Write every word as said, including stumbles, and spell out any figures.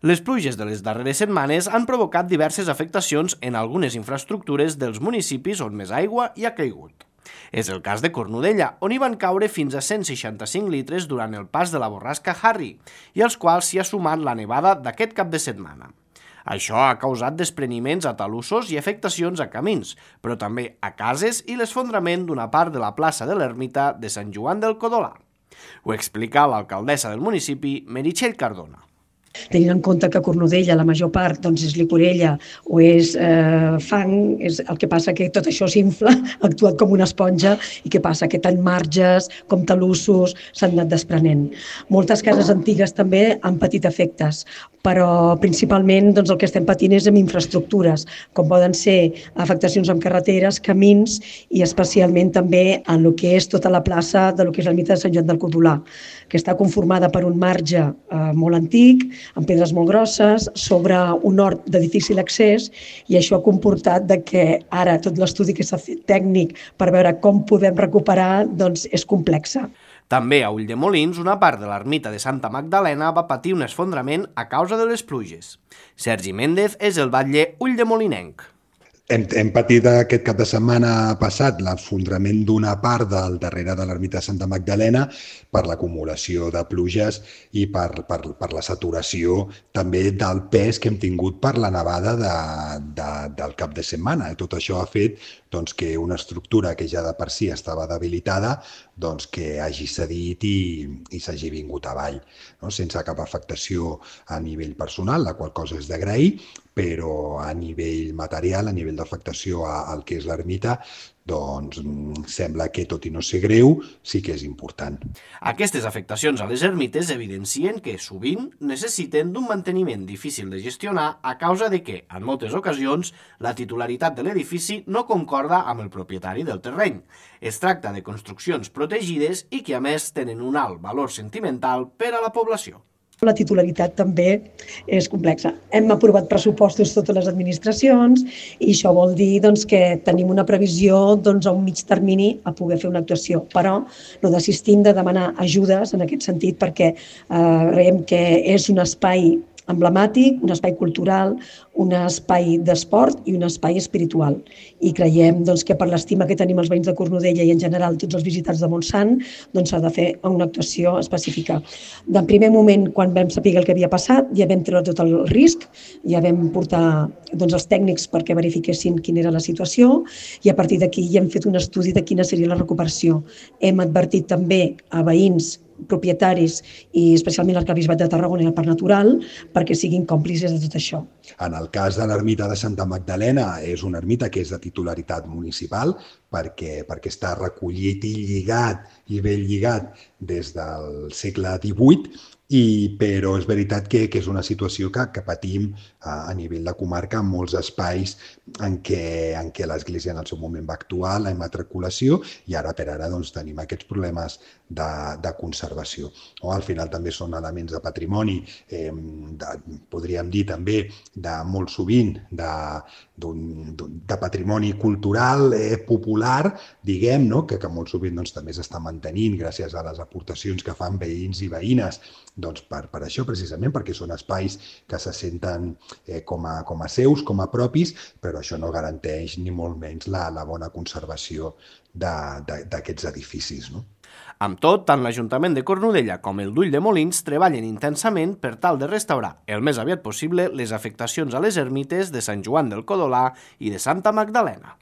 Les pluges de les darreres setmanes han provocat diverses afectacions en algunes infraestructures dels municipis on més aigua hi ha caigut. És el cas de Cornudella, on hi van caure fins a cent seixanta-cinc litres durant el pas de la borrasca Harry, i als quals s'hi ha sumat la nevada d'aquest cap de setmana. Això ha causat despreniments a talussos i afectacions a camins, però també a cases i l'esfondrament d'una part de la plaça de l'Ermita de Sant Joan del Codolà. Ho explica l'alcaldessa del municipi, Meritxell Cardona. Tenint en compte que a Cornudella la major part doncs, és licorella o és eh, fang, és el que passa que tot això s'infla, ha actuat com una esponja, i què passa? Que tant marges com talussos s'han anat desprenent. Moltes cases antigues també han patit efectes, però principalment doncs, el que estem patint és amb infraestructures, com poden ser afectacions amb carreteres, camins i especialment també en el que és tota la plaça de lo que és l'ermita de Sant Joan del Codolà, que està conformada per un marge eh, molt antic, amb pedres molt grosses, sobre un hort de difícil accés, i això ha comportat de que ara tot l'estudi que s'ha fet tècnic per veure com podem recuperar doncs és complexa. També a Ulldemolins, una part de l'ermita de Santa Magdalena va patir un esfondrament a causa de les pluges. Sergi Méndez és el batlle ulldemolinenc. Hem, hem patit aquest cap de setmana passat l'esfondrament d'una part del darrere de l'ermita de Santa Magdalena per l'acumulació de pluges i per, per, per la saturació també del pes que hem tingut per la nevada de, de, del cap de setmana. Tot això ha fet doncs, que una estructura que ja de per si estava debilitada doncs, que hagi cedit i, i s'hagi vingut avall, no? Sense cap afectació a nivell personal, la qual cosa és d'agrair, però a nivell material, a nivell d'afectació al que és l'ermita, doncs sembla que, tot i no ser greu, sí que és important. Aquestes afectacions a les ermites evidencien que sovint necessiten d'un manteniment difícil de gestionar a causa de que, en moltes ocasions, la titularitat de l'edifici no concorda amb el propietari del terreny. Es tracta de construccions protegides i que, a més, tenen un alt valor sentimental per a la població. La titularitat també és complexa. Hem aprovat pressupostos totes les administracions i això vol dir doncs, que tenim una previsió doncs, a un mig termini a poder fer una actuació, però no desistim de demanar ajudes en aquest sentit perquè eh, creiem que és un espai emblemàtic, un espai cultural, un espai d'esport i un espai espiritual. I creiem doncs, que per l'estima que tenim els veïns de Cornudella i en general tots els visitants de Montsant doncs, s'ha de fer una actuació específica. De primer moment, quan vam saber el que havia passat, ja vam treure tot el risc, ja vam portar doncs, els tècnics perquè verifiquessin quina era la situació i a partir d'aquí ja hem fet un estudi de quina seria la recuperació. Hem advertit també a veïns, propietaris i especialment l'Arquebisbat de Tarragona i el Parc Natural perquè siguin còmplices de tot això. En el cas de l'ermita de Santa Magdalena és una ermita que és de titularitat municipal perquè, perquè està recollit i lligat i ben lligat des del segle divuit, i, però és veritat que, que és una situació que, que patim a, a nivell de comarca en molts espais en què, en què l'Església en el seu moment va actuar, la immatriculació, i ara per ara doncs, tenim aquests problemes de, de conservació. O, al final també són elements de patrimoni, eh, de, podríem dir també de molt sovint de, d'un, de patrimoni cultural eh, popular, diguem, no? que, que molt sovint doncs, també s'està mantenint gràcies a les aportacions que fan veïns i veïnes, doncs per, per això precisament, perquè són espais que se senten eh, com, a, com a seus, com a propis, però això no garanteix ni molt menys la, la bona conservació d'aquests edificis. No? Amb tot, tant l'Ajuntament de Cornudella com el d'Ulldemolins treballen intensament per tal de restaurar el més aviat possible les afectacions a les ermites de Sant Joan del Codolà i de Santa Magdalena.